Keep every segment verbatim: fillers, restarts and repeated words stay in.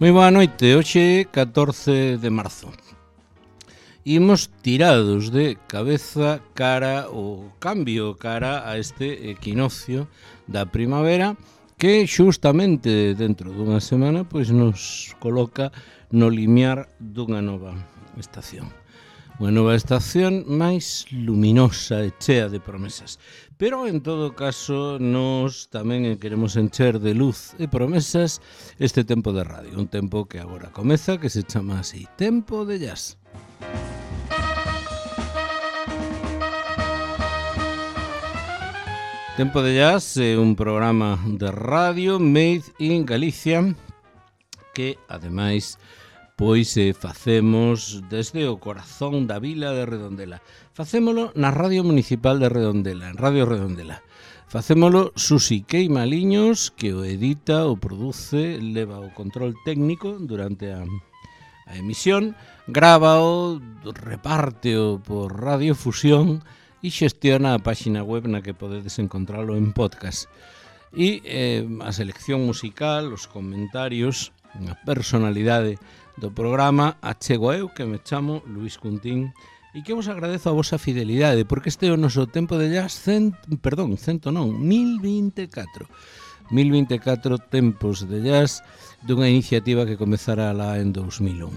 Moi boa noite, hoxe é catorce de marzo. Imos tirados de cabeza cara o cambio cara a este equinoccio da primavera que xustamente dentro dunha semana pois nos coloca no limiar dunha nova estación. Unha nova estación máis luminosa e chea de promesas. Pero, en todo caso, nos tamén queremos encher de luz e promesas este tempo de radio. Un tempo que agora comeza, que se chama así, Tempo de Jazz. Tempo de Jazz é un programa de radio made in Galicia que, ademais, pois eh, facemos desde o corazón da vila de Redondela. Facémolo na Radio Municipal de Redondela, en Radio Redondela. Facémolo Susi Queimaliños, que o edita, o produce, leva o control técnico durante a, a emisión, grábao, repárteo por radiofusión e xestiona a páxina web na que podedes encontralo en podcast. E eh, a selección musical, os comentarios, a personalidade do programa achego eu, que me chamo Luís Cuntín, e que vos agradezo a vosa fidelidade, porque este é o noso tempo de jazz, cent, perdón, cento non, mil vinte e catro. mil vinte e catro tempos de jazz dunha iniciativa que comezara lá en dous mil un.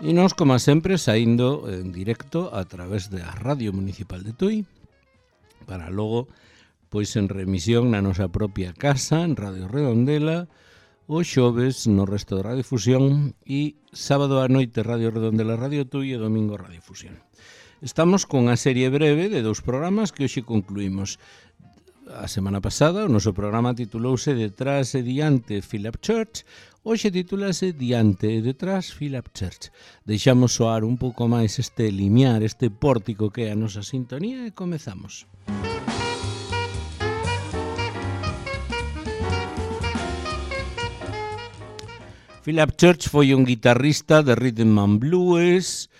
E nós, como sempre, saindo en directo a través da Radio Municipal de Tui, para logo, pois en remisión na nosa propia casa, en Radio Redondela, o xoves no resto de Radiofusión e sábado a noite Radio Redondela, Radio Tui e domingo Radiofusión. Estamos con a serie breve de dous programas que hoxe concluímos. A semana pasada o noso programa titulouse Detrás e Diante Philip Church, hoxe titulase Diante e Detrás Philip Church. Deixamos soar un pouco máis este limiar, este pórtico que é a nosa sintonía e comezamos. Philip Church foi un guitarrista de rhythm and blues,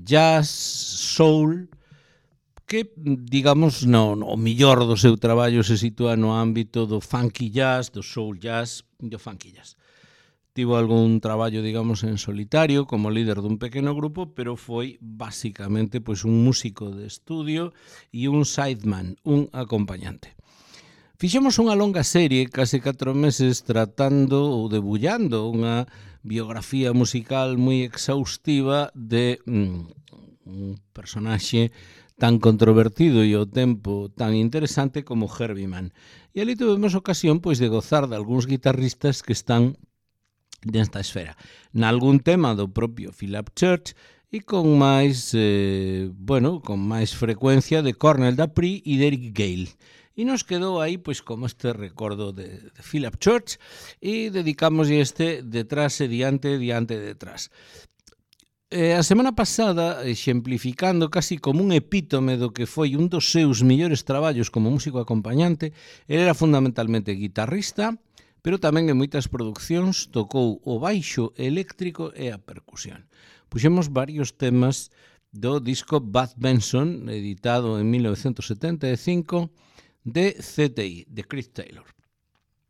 jazz, soul, que, digamos, no, no millor do seu traballo se sitúa no ámbito do funky jazz, do soul jazz e do funky jazz. Tivo algún traballo, digamos, en solitario como líder dun pequeno grupo, pero foi basicamente pois, un músico de estudio e un sideman, un acompañante. Fixemos unha longa serie, case catro meses, tratando ou debullando unha biografía musical moi exhaustiva de mm, un personaxe tan controvertido e ao tempo tan interesante como Herbie Mann. E ali tuvemos ocasión pois, de gozar de algúns guitarristas que están nesta esfera. Nalgún tema do propio Philip Church e con máis, eh, bueno, con máis frecuencia de Cornell Dupree e de Eric Gale. E nos quedou aí, pois, como este recordo de, de Philip Church e dedicamos este Detrás e Diante, Diante e Detrás. Eh, a semana pasada, exemplificando casi como un epítome do que foi un dos seus millores traballos como músico acompañante, ele era fundamentalmente guitarrista, pero tamén en moitas producións tocou o baixo eléctrico e a percusión. Puxemos varios temas do disco Bud Benson, editado en mil novecentos setenta e cinco, de C T I, de Chris Taylor.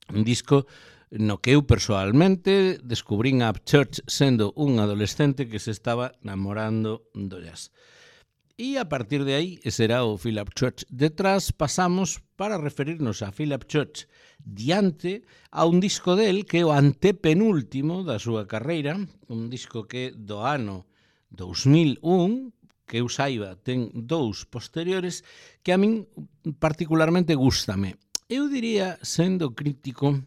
Un disco no que eu persoalmente descubrín a Church sendo un adolescente que se estaba namorando do jazz. E a partir de aí, será o Philip Church detrás, pasamos para referirnos a Philip Church diante a un disco del que é o antepenúltimo da súa carreira, un disco que do ano dous mil un, que eu saiba, ten dous posteriores que a min particularmente gústame. Eu diría, sendo crítico,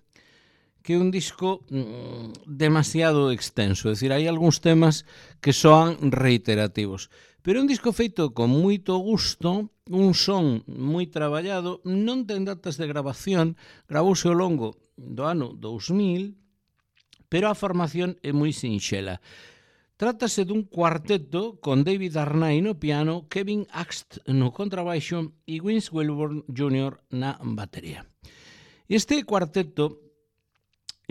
que é un disco mm, demasiado extenso, é dicir, hai algúns temas que soan reiterativos, pero é un disco feito con moito gusto, un son moi traballado, non ten datas de grabación, gravouse ao longo do ano dous mil, pero a formación é moi sinxela. Trátase dun cuarteto con David Arnay no piano, Kevin Axt no contrabaixo e Vince Wilburn júnior na batería. Este cuarteto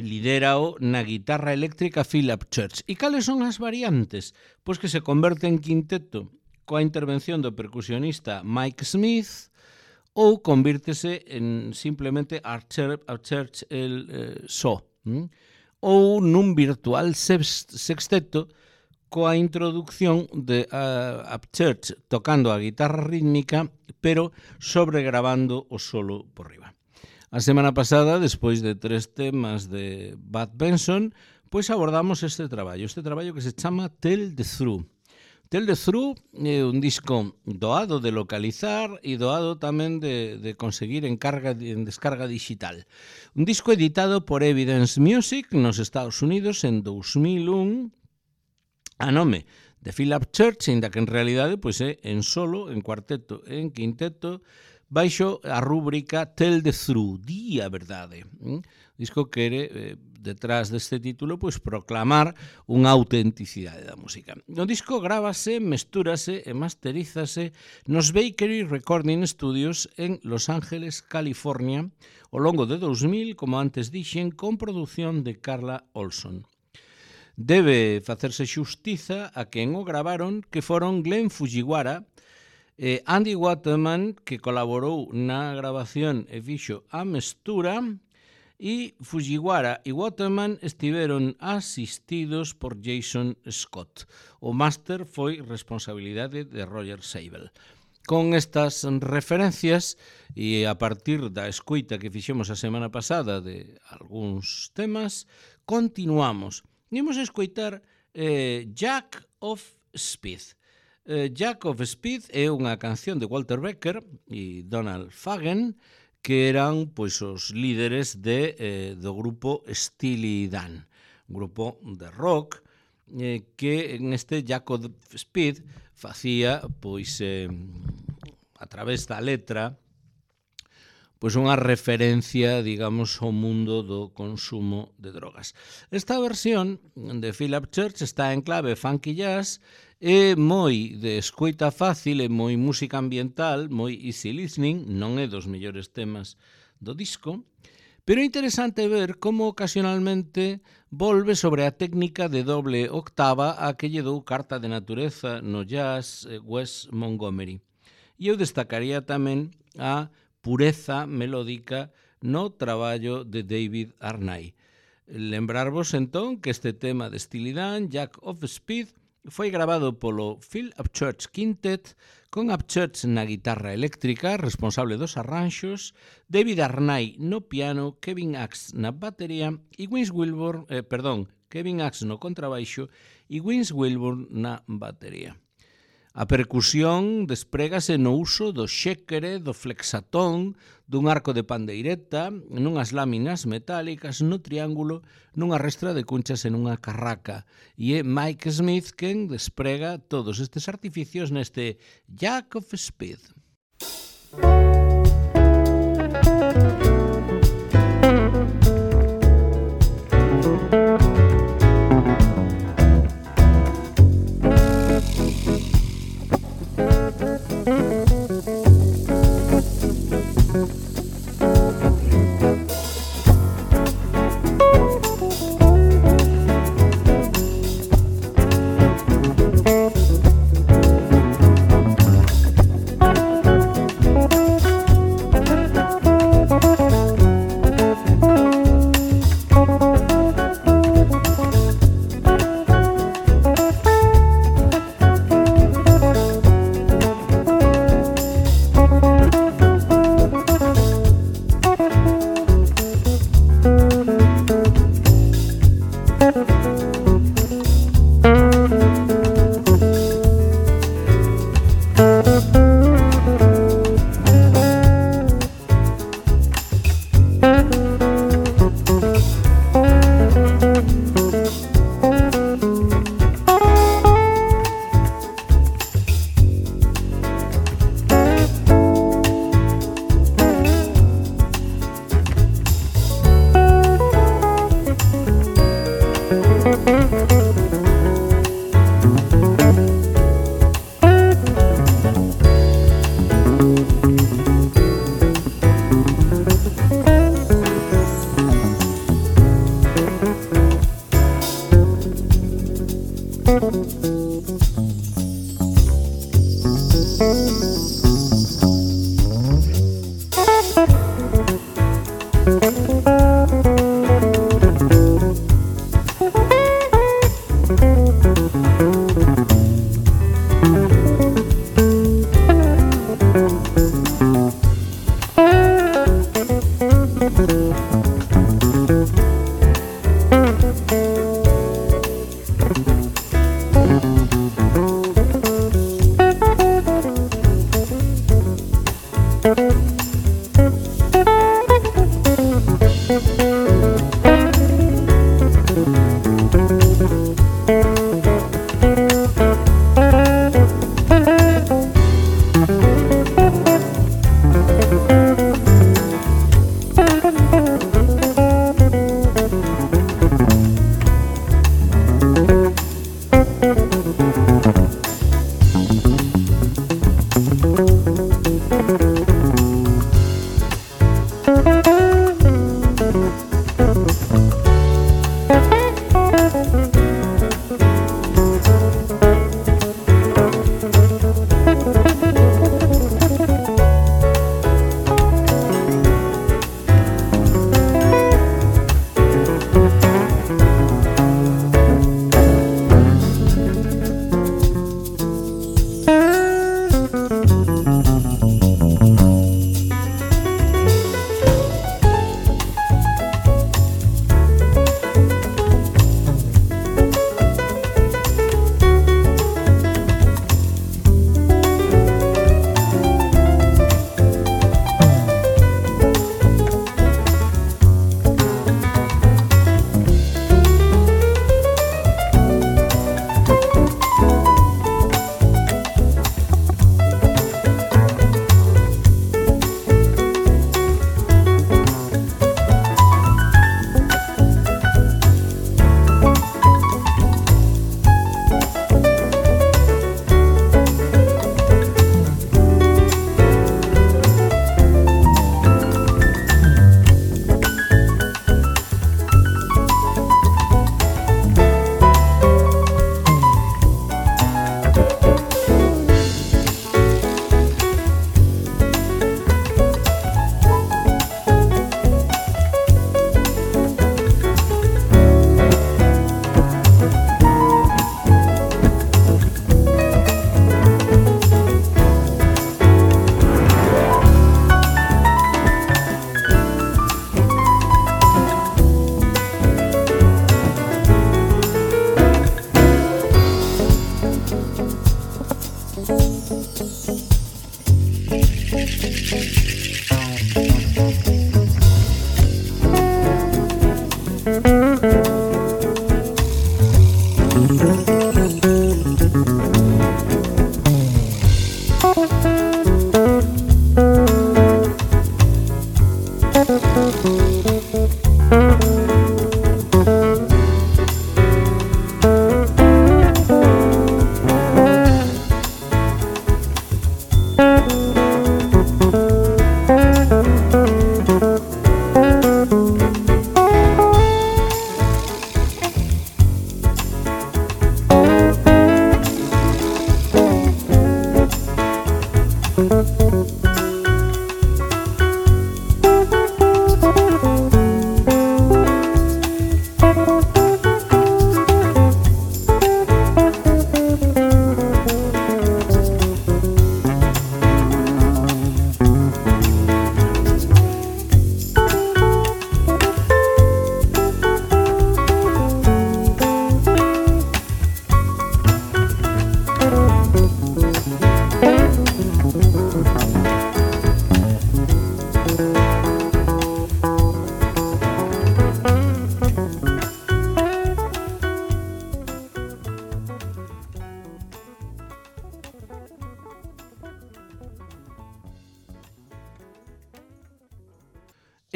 lidérao na guitarra eléctrica Philip Church. E cales son as variantes? Pois que se converte en quinteto coa intervención do percusionista Mike Smith, ou convírtese en simplemente a Church, a church el eh, só, hm? ou nun virtual sexteto coa introducción de uh, Upchurch tocando a guitarra rítmica, pero sobregravando o solo por riba. A semana pasada, despois de tres temas de Bud Benson, pois abordamos este traballo, este traballo que se chama Tell the Truth. Tell the Truth é un disco doado de localizar e doado tamén de, de conseguir en, carga, en descarga digital. Un disco editado por Evidence Music nos Estados Unidos en dos mil un, a nome de Phil Upchurch, ainda que en realidade pois, é en solo, en cuarteto e en quinteto, baixo a rúbrica Tell the Truth, di a verdade. Un disco que quere, eh, detrás deste título, pois proclamar unha autenticidade da música. O disco grávase, mestúrase e masterízase nos Bakery Recording Studios en Los Ángeles, California, ao longo de dos mil, como antes dixen, con produción de Carla Olson. Debe facerse xustiza a quen o gravaron, que foron Glenn Fujiwara, eh, Andy Waterman, que colaborou na grabación e fixo a mestura, e Fujiwara e Waterman estiveron asistidos por Jason Scott. O máster foi responsabilidade de Roger Sable. Con estas referencias e a partir da escoita que fixemos a semana pasada de algúns temas, continuamos. Imos a escoitar eh, Jack of Speed. Eh, Jack of Speed é unha canción de Walter Becker e Donald Fagen, que eran pois os líderes de, eh, do grupo Steely Dan, un grupo de rock eh, que en este Jack of Speed facía pois eh, a través da letra pois unha referencia, digamos, ao mundo do consumo de drogas. Esta versión de Phil Upchurch está en clave funky jazz, é moi de escoita fácil, é moi música ambiental, moi easy listening, non é dos mellores temas do disco, pero é interesante ver como ocasionalmente volve sobre a técnica de doble octava a que lle dou carta de natureza no jazz Wes Montgomery. E eu destacaría tamén a pureza melódica no traballo de David Arnay. Lembrarvos entón que este tema de Steely Dan, Jack of Speed, foi grabado polo Phil Upchurch Quintet con Upchurch na guitarra eléctrica, responsable dos arranxos, David Arnay no piano, Kevin Axe na batería e Vince Wilburn, eh, perdón, Kevin Axe no contrabaixo e Vince Wilburn na batería. A percusión desprégase no uso do xéquere, do flexatón, dun arco de pandeireta, nunhas láminas metálicas, no triángulo, nunha restra de cunchas e nunha carraca. E é Mike Smith quen desprega todos estes artificios neste Jack of Speed.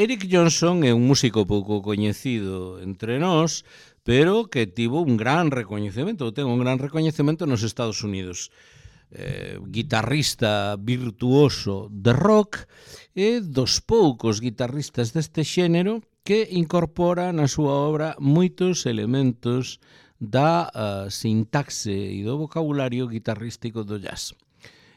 Eric Johnson é un músico pouco coñecido entre nós, pero que tivo un gran recoñecemento, ten un gran recoñecemento nos Estados Unidos. Eh, guitarrista virtuoso de rock e dos poucos guitarristas deste xénero que incorpora na súa obra moitos elementos da uh, sintaxe e do vocabulario guitarrístico do jazz.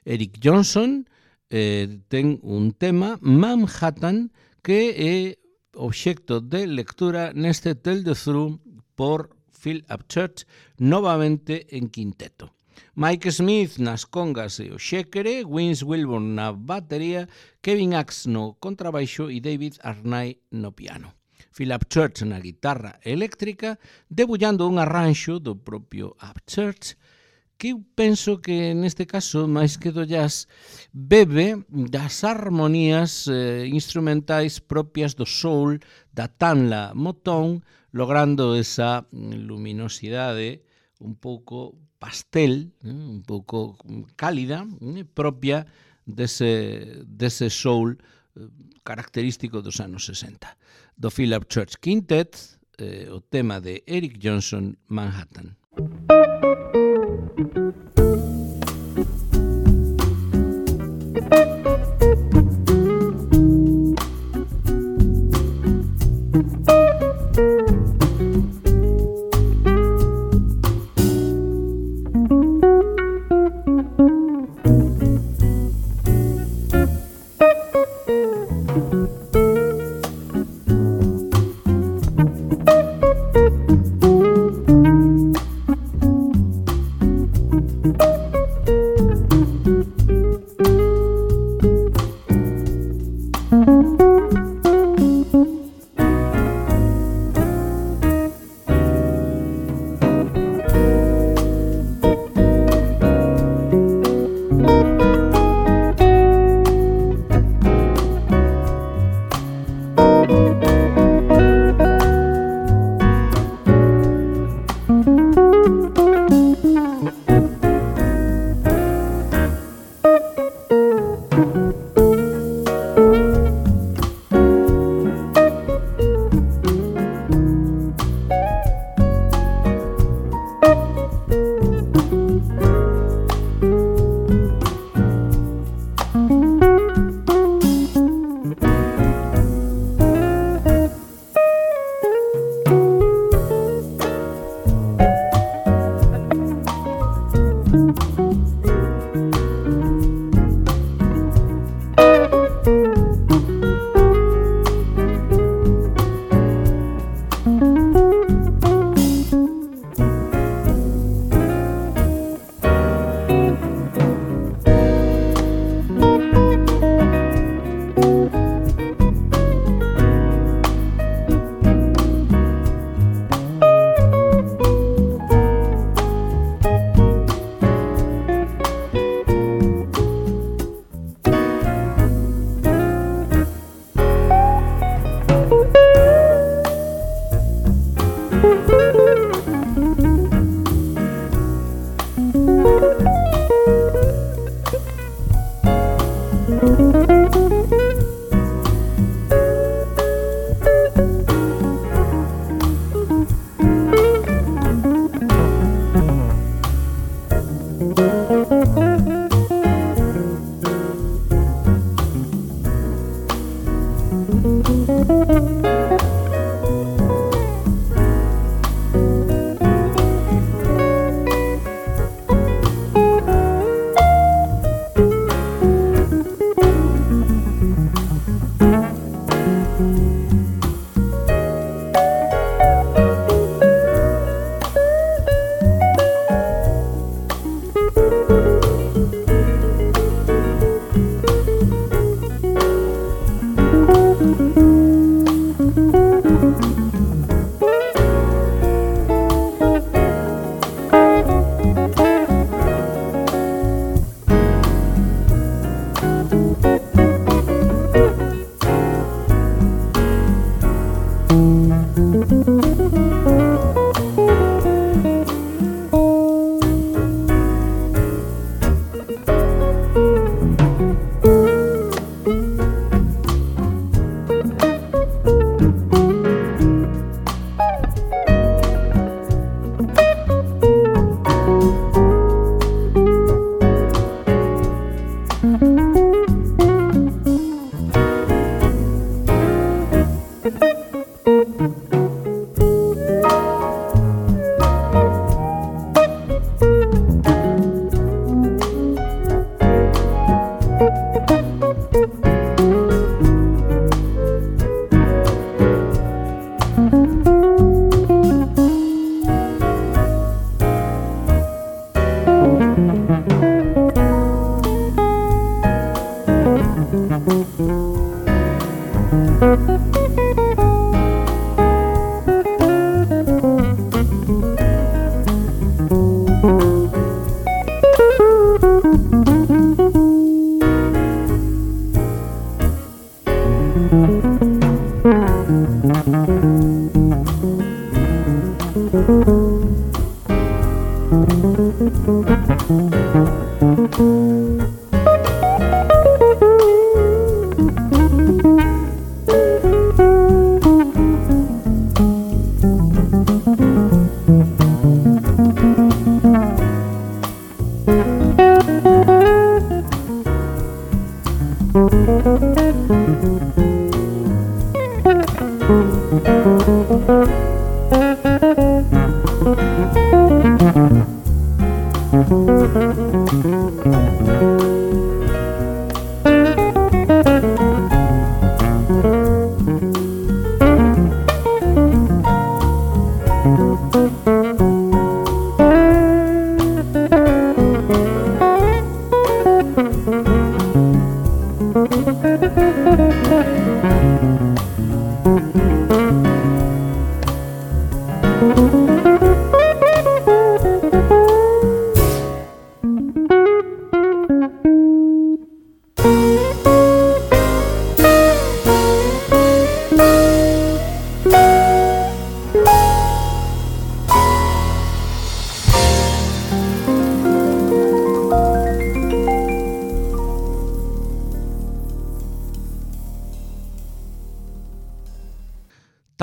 Eric Johnson eh, ten un tema, Manhattan, que é obxecto de lectura neste Tell the Truth por Phil Upchurch, novamente en quinteto. Mike Smith nas congas e o xéquere, Vince Wilburn na batería, Kevin Axe no contrabaixo e David Arnay no piano. Phil Upchurch na guitarra eléctrica, debullando un arranxo do propio Upchurch, que eu penso que neste caso, máis que do jazz, bebe das armonías eh, instrumentais propias do soul, da tanla Motown, logrando esa luminosidade un pouco pastel, eh, un pouco cálida, eh, propia dese, dese soul eh, característico dos anos sesenta. Do Phil Upchurch Quintet, eh, o tema de Eric Johnson, Manhattan.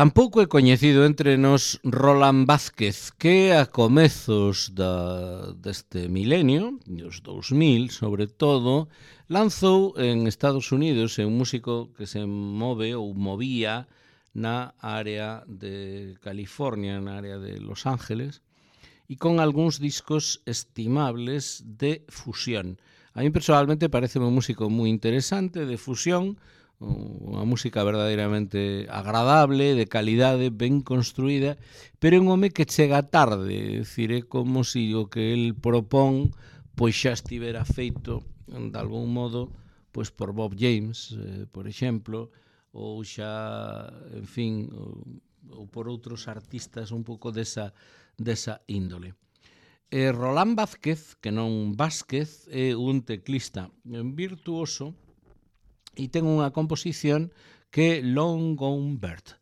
Tampouco é coñecido entre nos Roland Vázquez, que a comezos da, deste milenio, dos dous mil sobre todo, lanzou en Estados Unidos, é un músico que se move ou movía na área de California, na área de Los Ángeles, e con algúns discos estimables de fusión. A mí personalmente parece un músico moi interesante de fusión, unha música verdadeiramente agradable, de calidade, ben construída, pero é un home que chega tarde, é dicir, é como se o que el propón pois xa estivera feito de algún modo pois por Bob James, eh, por exemplo, ou xa, en fin, ou, ou por outros artistas un pouco desa, desa índole. E Roland Vázquez, que non Vázquez, é un teclista virtuoso e ten unha composición que é Long Gone Bird,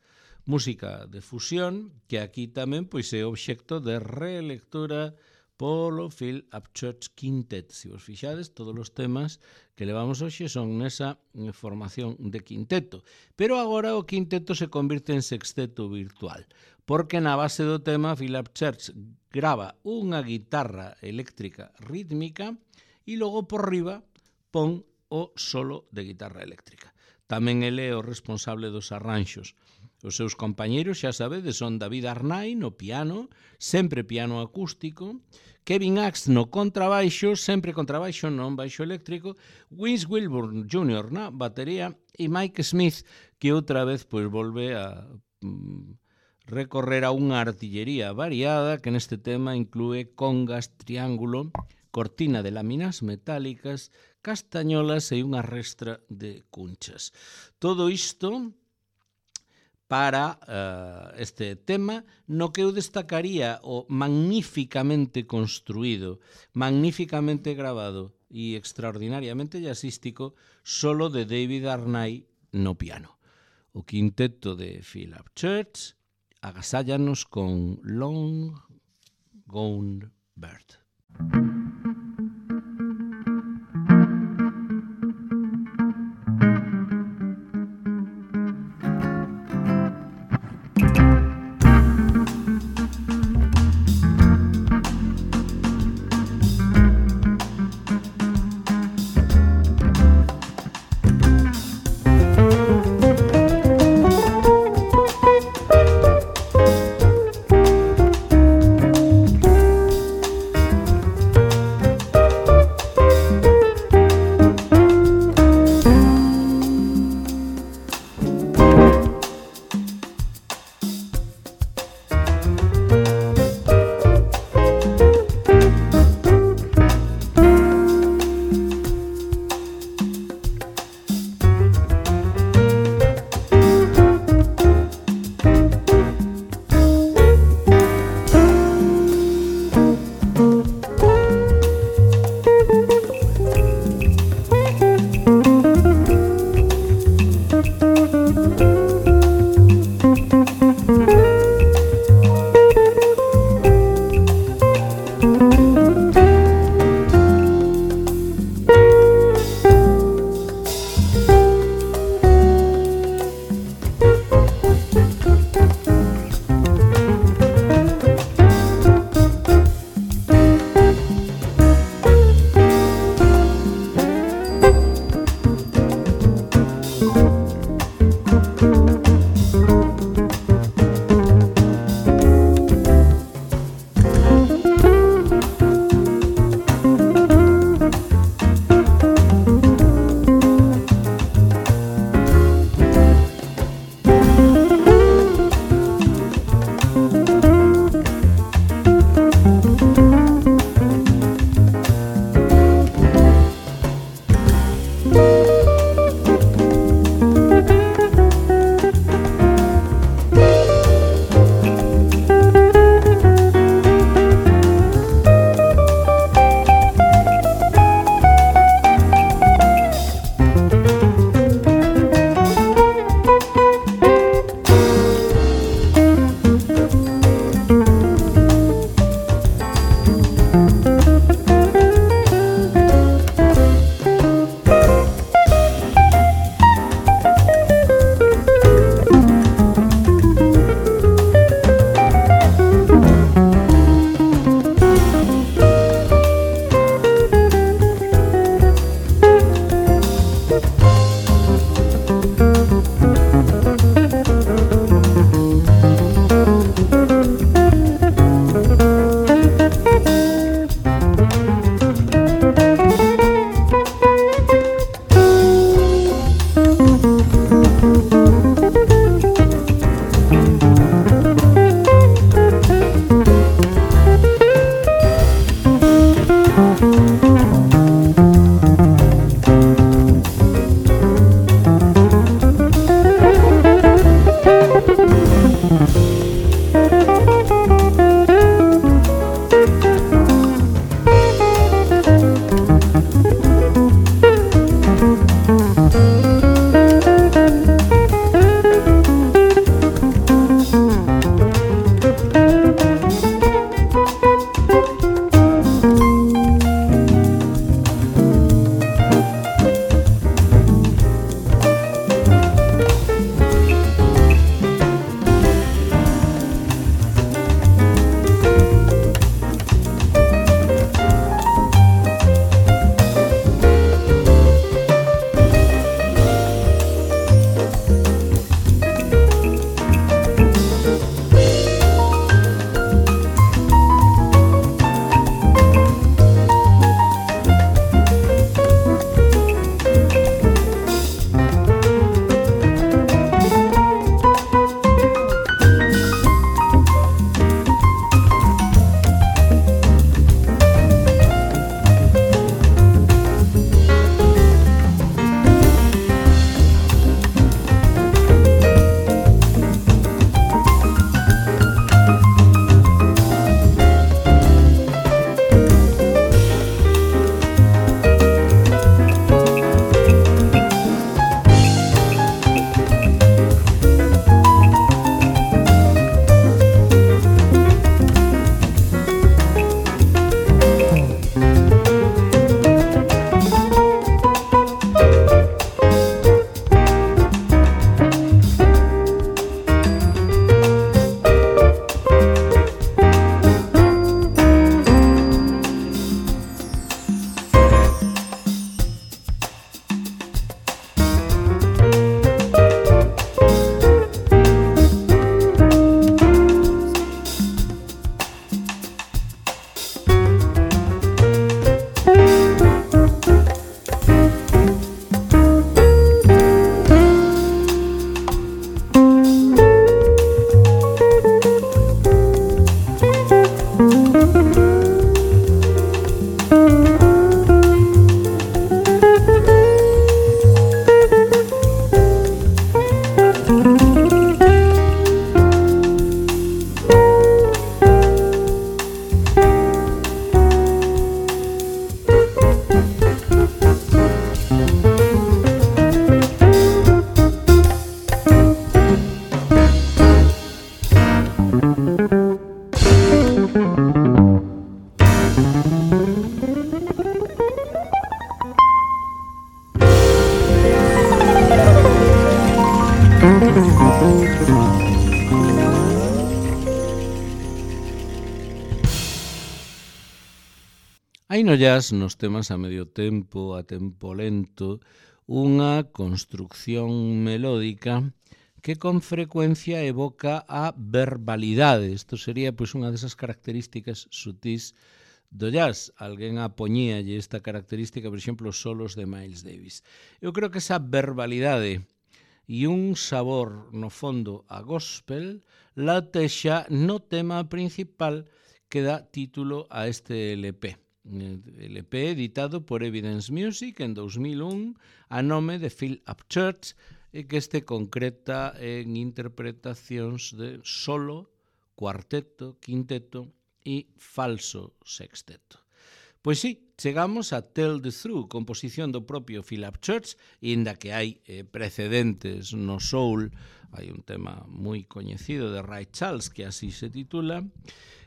música de fusión que aquí tamén pois é obxecto de relectura polo Phil Upchurch Quintet. Se vos fixades, todos os temas que levamos hoxe son nesa formación de quinteto. Pero agora o quinteto se convirte en sexteto virtual, porque na base do tema Phil Upchurch grava unha guitarra eléctrica rítmica e logo por riba pon o solo de guitarra eléctrica. Tamén ele é o responsable dos arranxos. Os seus compañeiros, xa sabedes, son David Arnay no piano, sempre piano acústico, Kevin Axe no contrabaixo, sempre contrabaixo, non baixo eléctrico, Vince Wilburn júnior na batería e Mike Smith, que outra vez pois volve a mm, recorrer a unha artillería variada que neste tema inclúe congas, triángulo, cortina de láminas metálicas, castañolas e unha restra de cunchas. Todo isto para uh, este tema no que eu destacaría o magníficamente construído, magníficamente grabado e extraordinariamente jazzístico solo de David Arnay no piano. O quinteto de Phil Upchurch agasállanos con Long Gone Bird. Hai no jazz, nos temas a medio tempo, a tempo lento, unha construcción melódica que con frecuencia evoca a verbalidade. Isto sería pois unha desas características sutís do jazz. Alguén apoñíalle esta característica, por exemplo, os solos de Miles Davis. Eu creo que esa verbalidade e un sabor, no fondo, a gospel, latexa no tema principal que dá título a este L P. L P editado por Evidence Music en dos mil un a nome de Phil Upchurch e que este concreta en interpretacións de solo, cuarteto, quinteto e falso sexteto. Pois sí, chegamos a Tell the Truth, composición do propio Phil Upchurch, inda que hai eh, precedentes no soul, hai un tema moi coñecido de Ray Charles que así se titula,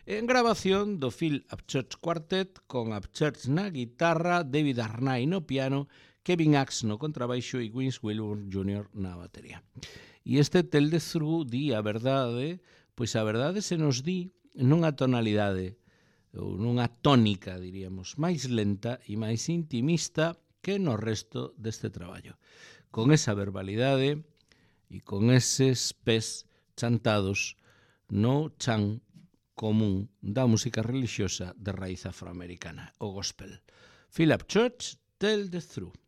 en grabación do Phil Upchurch Quartet con Upchurch na guitarra, David Arnay no piano, Kevin Axe no contrabaixo e Vince Wilburn júnior na batería. E este Tell the Truth di a verdade, pois a verdade se nos di nunha tonalidade ou nunha tónica, diríamos, máis lenta e máis intimista que no resto deste traballo. Con esa verbalidade e con eses pés chantados no chan común da música religiosa de raíz afroamericana, o gospel. Philip Church, Tell the Truth.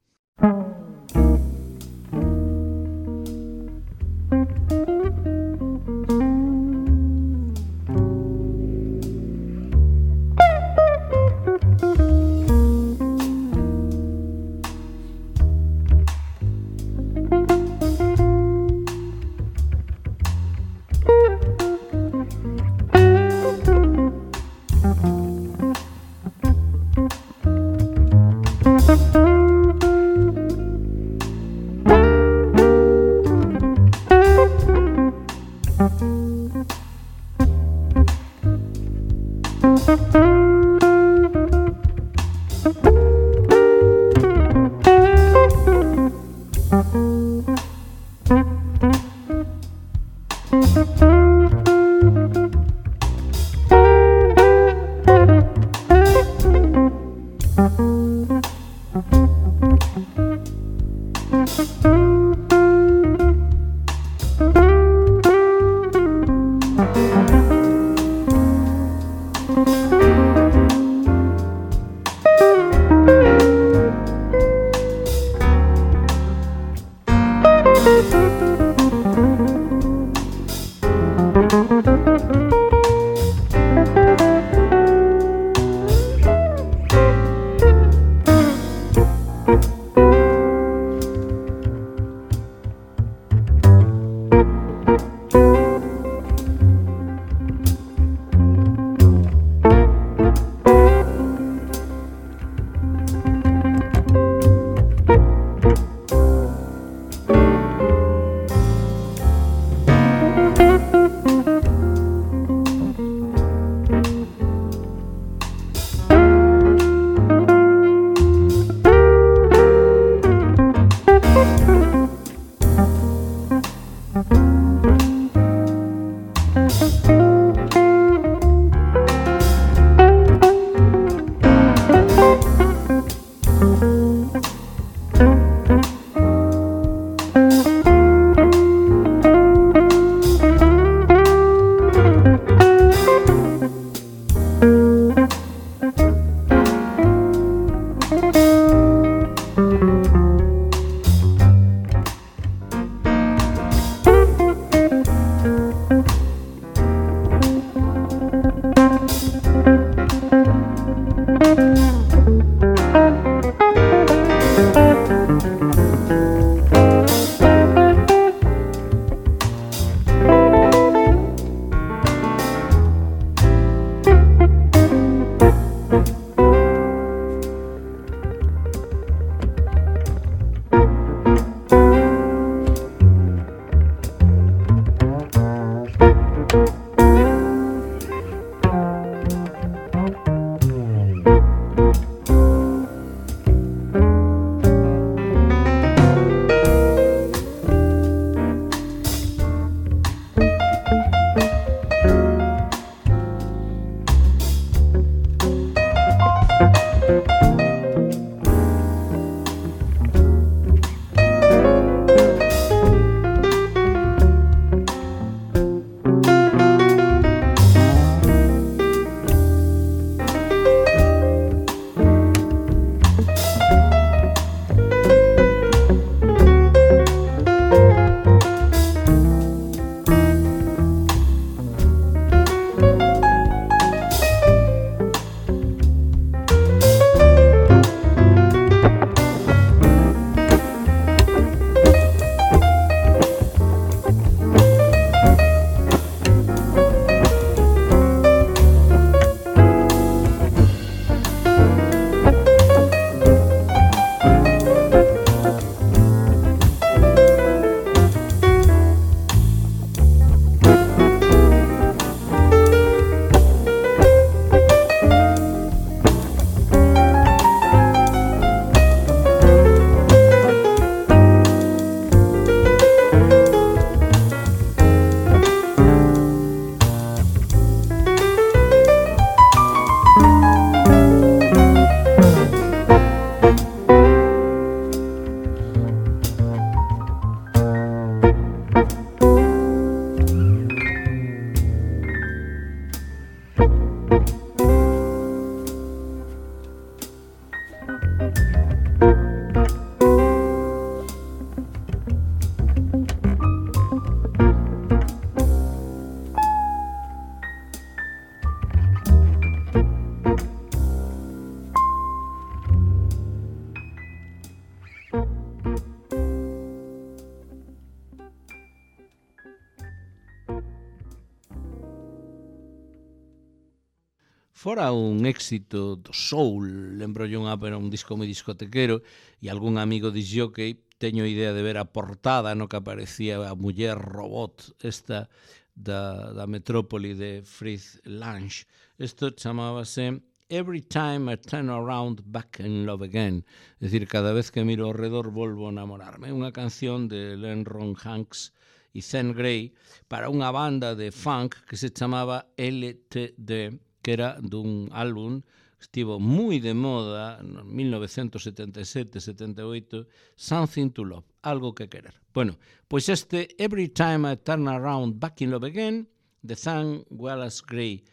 fora un éxito do soul, lembro yo unha, era un disco moi discotequero, e algún amigo disjockey, teño idea de ver a portada no que aparecía a muller robot esta da, da metrópoli de Fritz Lang. Isto chamábase Every Time I Turn Around Back in Love Again, é dicir, cada vez que miro ao redor volvo a enamorarme. Unha canción de Len Ron Hanks e Zen Gray para unha banda de funk que se chamaba L T D, que era dun álbum que estivo moi de moda en mil novecientos setenta e sete setenta e oito, Something to Love, algo que querer. Bueno, pois este Every Time I Turn Around Back in Love Again de Zane Wallace Gray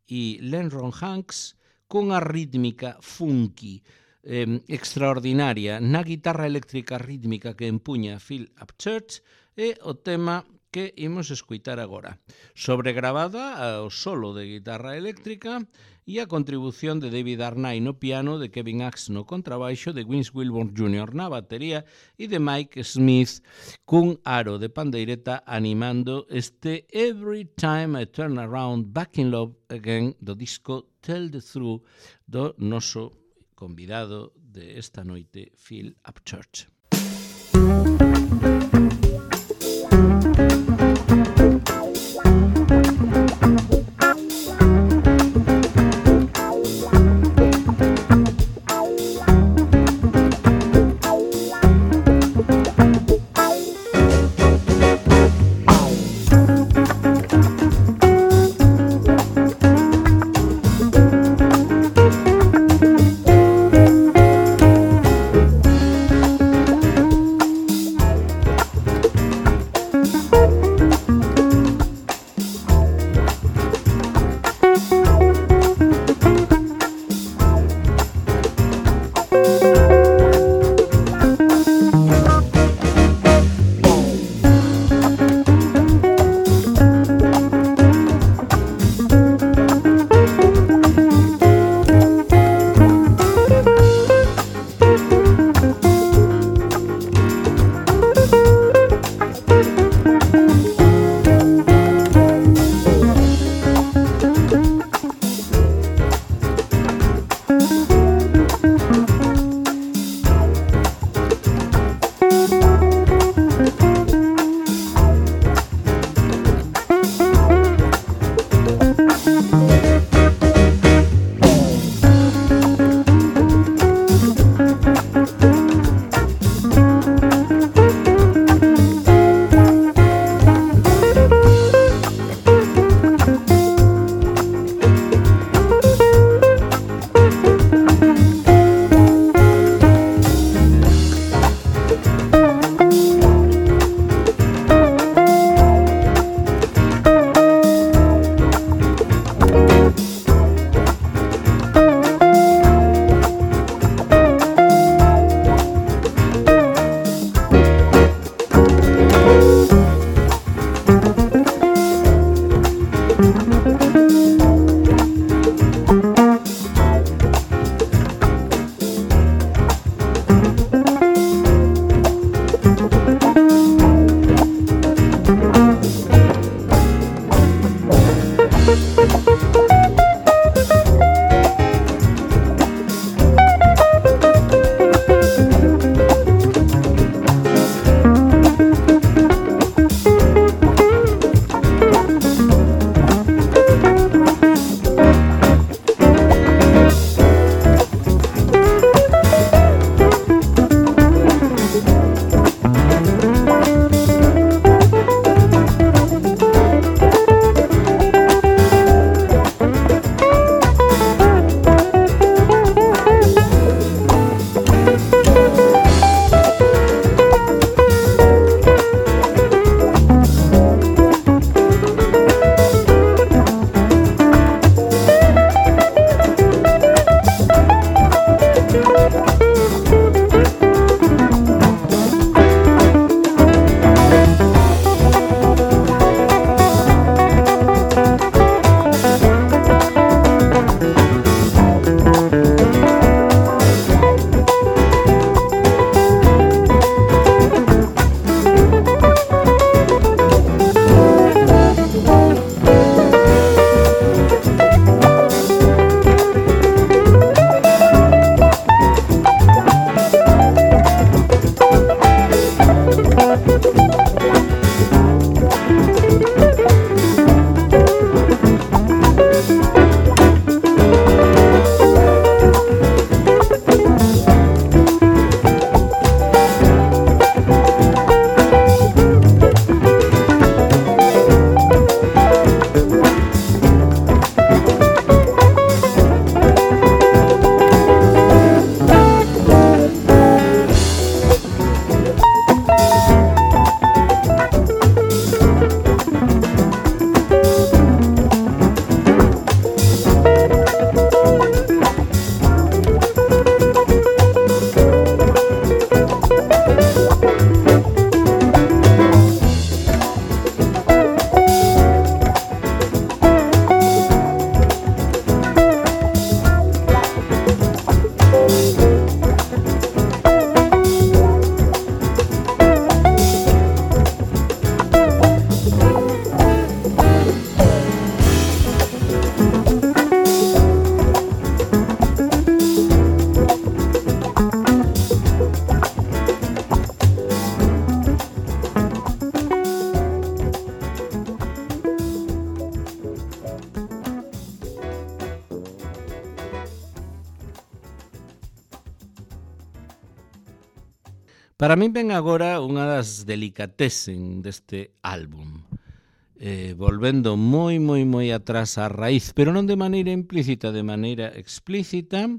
e Len Ron Hanks cunha rítmica funky eh, extraordinaria na guitarra eléctrica rítmica que empuña Phil Upchurch, é o tema que imos escuitar agora, sobregravada ao solo de guitarra eléctrica e a contribución de David Arnay no piano, de Kevin Axe no contrabaixo, de Vince Wilburn júnior na batería e de Mike Smith cun aro de pandeireta animando este Every Time I Turn Around Back in Love Again do disco Tell the Truth do noso convidado de esta noite, Phil Upchurch. Para min ven agora unha das delicatessen deste álbum, eh, volvendo moi, moi, moi atrás á raíz, pero non de maneira implícita, de maneira explícita.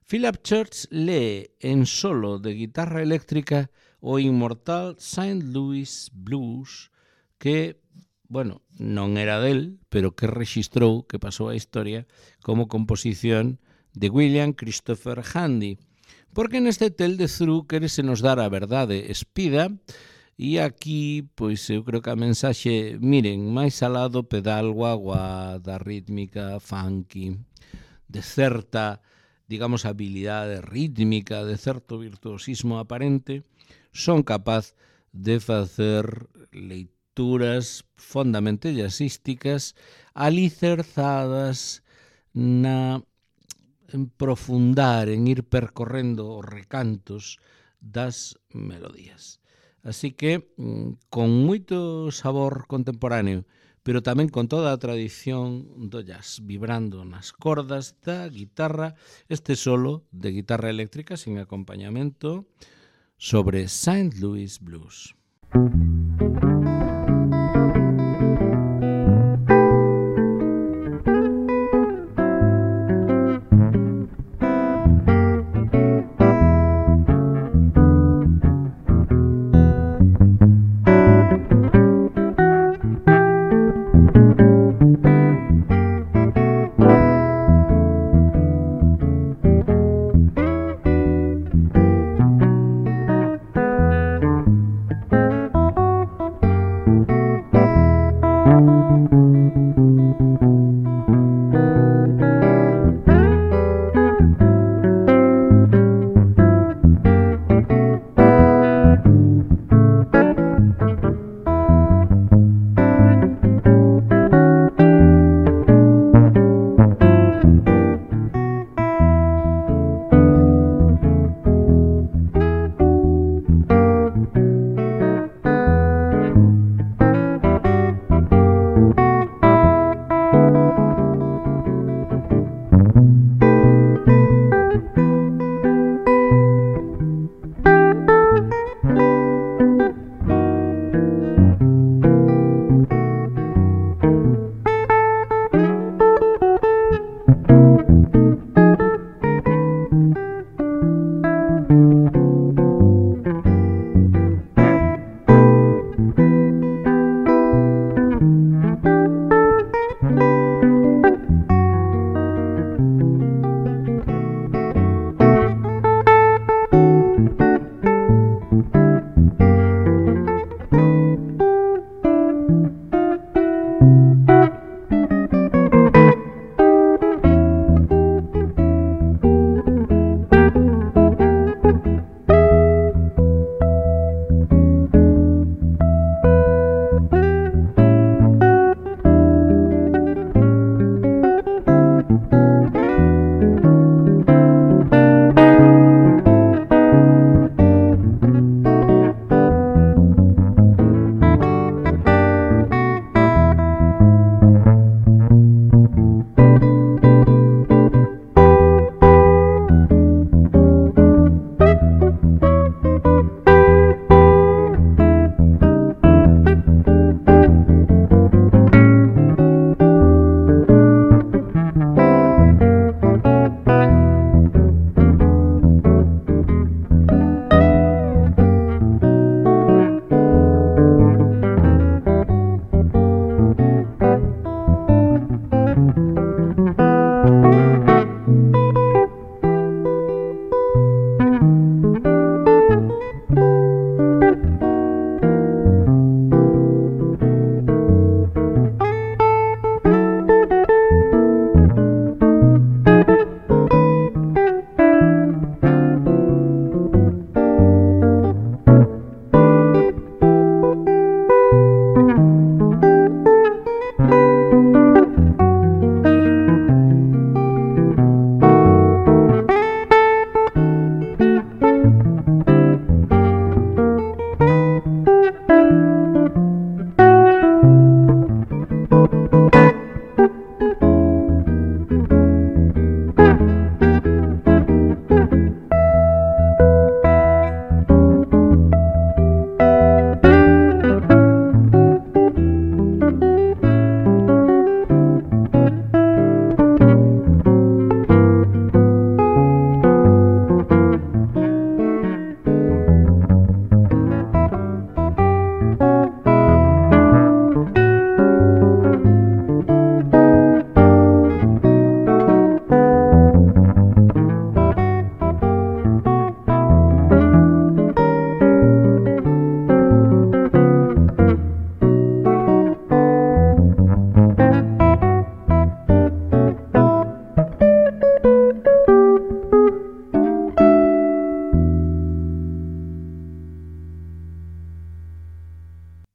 Philip Church lee en solo de guitarra eléctrica o inmortal Saint Louis Blues, que, bueno, non era del, pero que rexistrou, que pasou a historia, como composición de William Christopher Handy. Porque neste Tell the Truth querese nos dar a verdade espida, e aquí, pois, eu creo que a mensaxe, miren, máis alá do pedal guagua, da rítmica funky, de certa, digamos, habilidade rítmica, de certo virtuosismo aparente, son capaz de facer leituras fondamente jazzísticas, alicerzadas na en profundar, en ir percorrendo os recantos das melodías. Así que, con moito sabor contemporáneo, pero tamén con toda a tradición do jazz, vibrando nas cordas da guitarra, este solo de guitarra eléctrica sin acompañamento sobre Saint Louis Blues.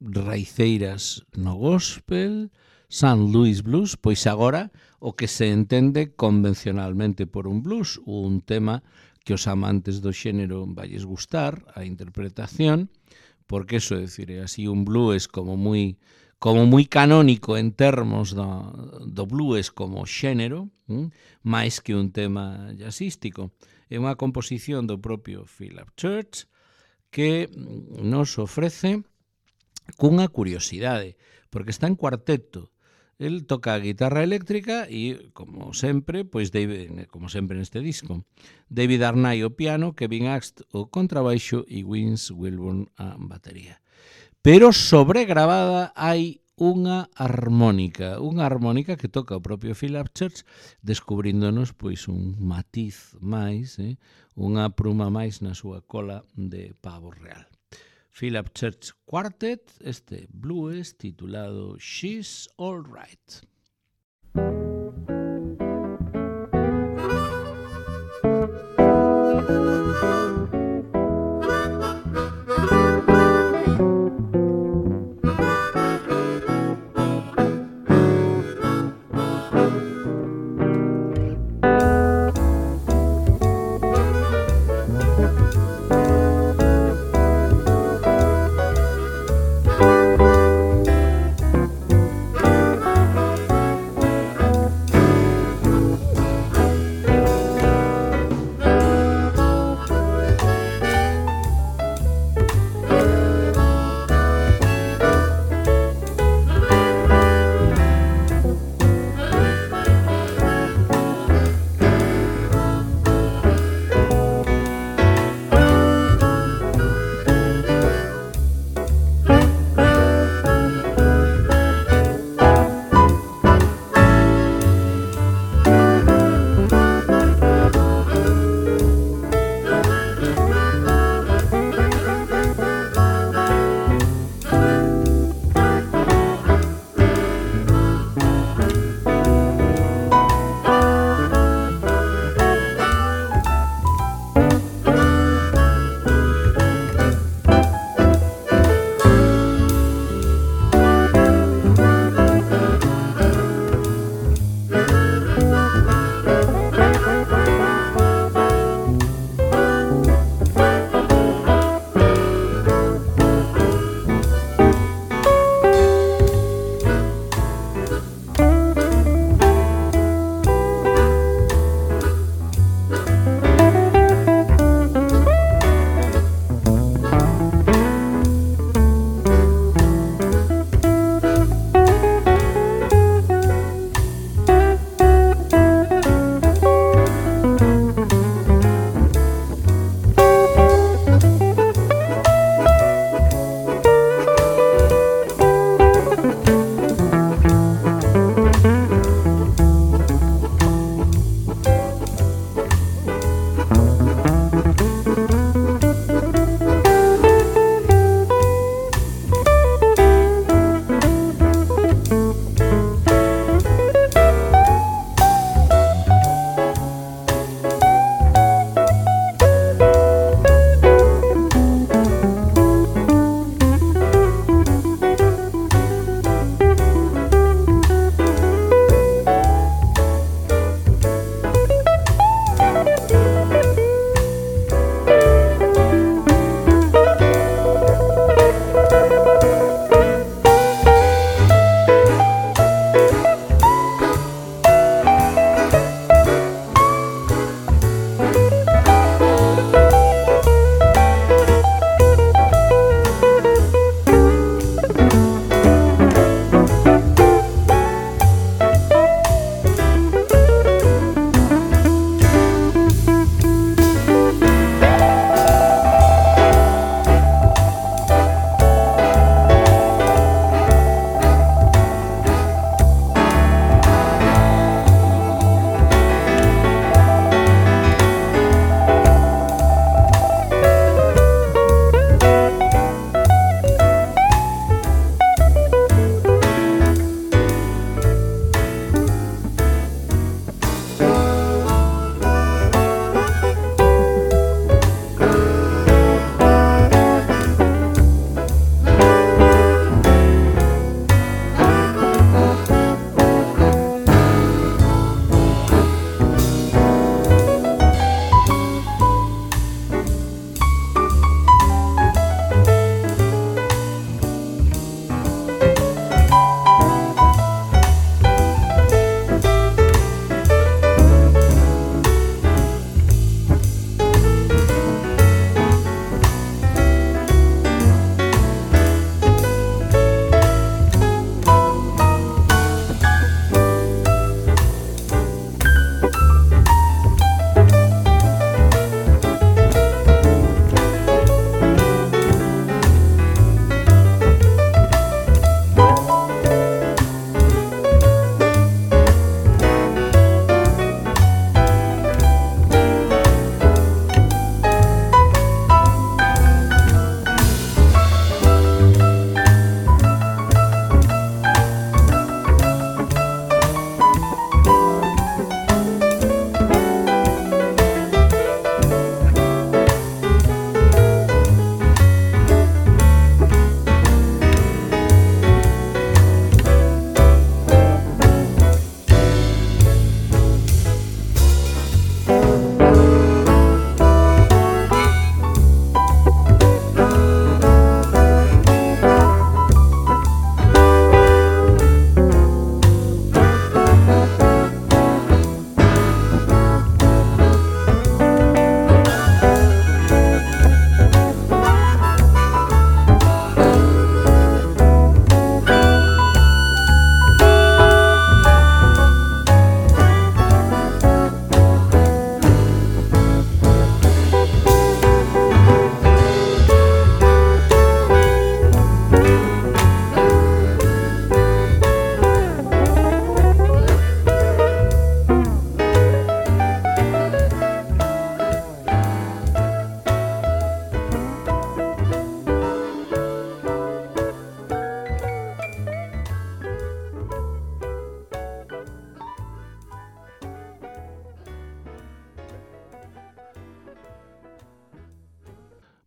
raiceiras no gospel, Saint Louis Blues, pois agora o que se entende convencionalmente por un blues, un tema que os amantes do xénero valles gustar, a interpretación, porque eso, é dicir, é así un blues como moi como moi canónico en termos do, do blues como xénero, hm? máis que un tema jazzístico. É unha composición do propio Philip Church que nos ofrece cunha curiosidade, porque está en cuarteto. El toca a guitarra eléctrica e, como sempre, pois David, como sempre neste disco, David Arnay o piano, Kevin Axt o contrabaixo e Vince Wilburn a batería. Pero sobregrabada hai unha armónica, unha armónica que toca o propio Philip Church, descubríndonos pois un matiz máis, eh? unha pruma máis na súa cola de pavo real. Philip Church Quartet, este blues titulado She's All Right.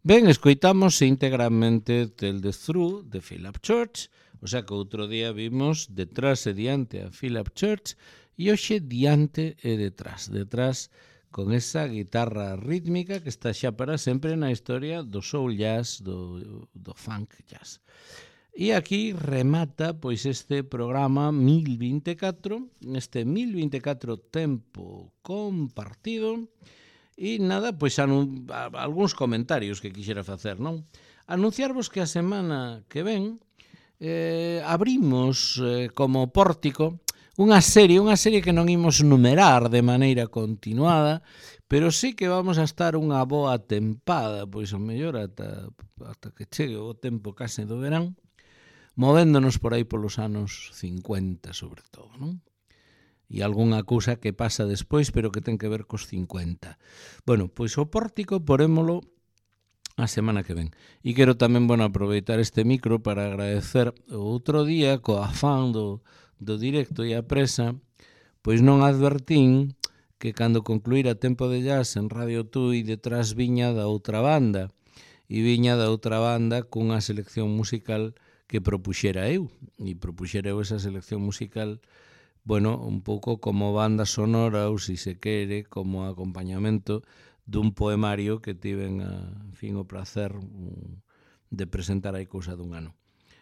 Ben, escoitamos íntegramente Tell the Truth de Philip Church, o sea que outro día vimos detrás e diante a Philip Church e hoxe diante e detrás, detrás con esa guitarra rítmica que está xa para sempre na historia do soul jazz, do, do funk jazz. E aquí remata pois este programa mil vinte e catro, este mil vinte e catro tempo compartido. E nada, pois anun, a, algúns comentarios que quixera facer, non? Anunciarvos que a semana que ven eh, abrimos eh, como pórtico unha serie, unha serie que non imos numerar de maneira continuada, pero sí que vamos a estar unha boa tempada, pois o mellor ata, ata que chegue o tempo case do verán, movéndonos por aí polos anos cincuenta, sobre todo, non? E algunha cousa que pasa despois, pero que ten que ver cos cincuenta. Bueno, pois o pórtico porémolo a semana que ven. E quero tamén, bueno, aproveitar este micro para agradecer o outro día, co afán do, do directo e a presa, pois non advertín que cando concluíra Tempo de Jazz en Radio Tui detrás viña da outra banda, e viña da outra banda cunha selección musical que propuxera eu, e propuxera eu esa selección musical, bueno, un pouco como banda sonora ou, si se quere, como acompañamento dun poemario que tiven, a, en fin, o placer de presentar hai cousa dun ano.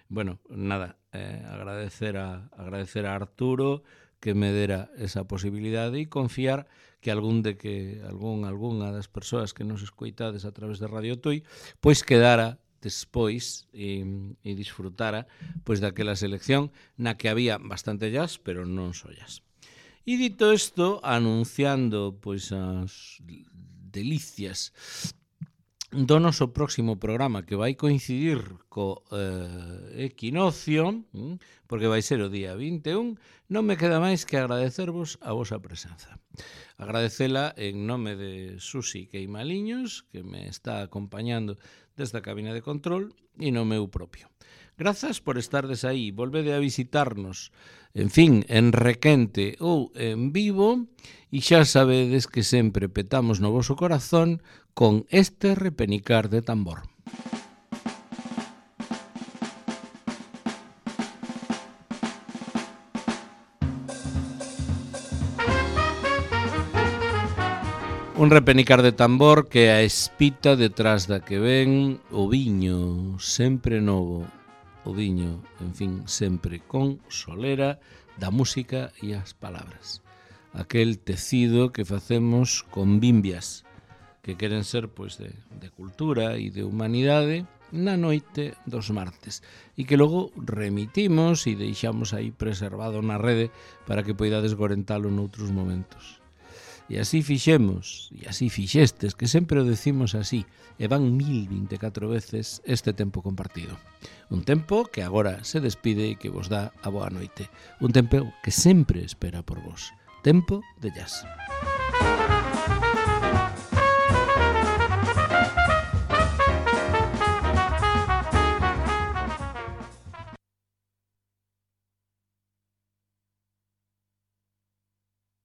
Bueno, nada, eh, agradecer a agradecer a Arturo que me dera esa posibilidade e confiar que algún de que algún algunha das persoas que nos escoitades a través de Radio Tui pois quedara despois e, e disfrutara pois daquela selección na que había bastante jazz, pero non só jazz. E dito isto, anunciando pois as delicias do noso próximo programa, que vai coincidir co eh, equinoccio, porque vai ser o día vinte e un, non me queda máis que agradecervos a vosa presenza. Agradecela en nome de Susi Queimaliños, que me está acompañando desde a cabina de control, e no meu propio. Grazas por estardes aí, volvede a visitarnos, en fin, en Requente ou en vivo, e xa sabedes que sempre petamos no voso corazón con este repenicar de tambor. Un repenicar de tambor que a espita detrás da que ven o viño sempre novo, o viño, en fin, sempre con solera da música e as palabras. Aquel tecido que facemos con bimbias, que queren ser pois de, de cultura e de humanidade na noite dos martes, e que logo remitimos e deixamos aí preservado na rede para que poidades gorentalo noutros momentos. E así fixemos, e así fixestes, que sempre o decimos así, e van mil vinte e catro veces este tempo compartido. Un tempo que agora se despide e que vos dá a boa noite. Un tempo que sempre espera por vos. Tempo de jazz.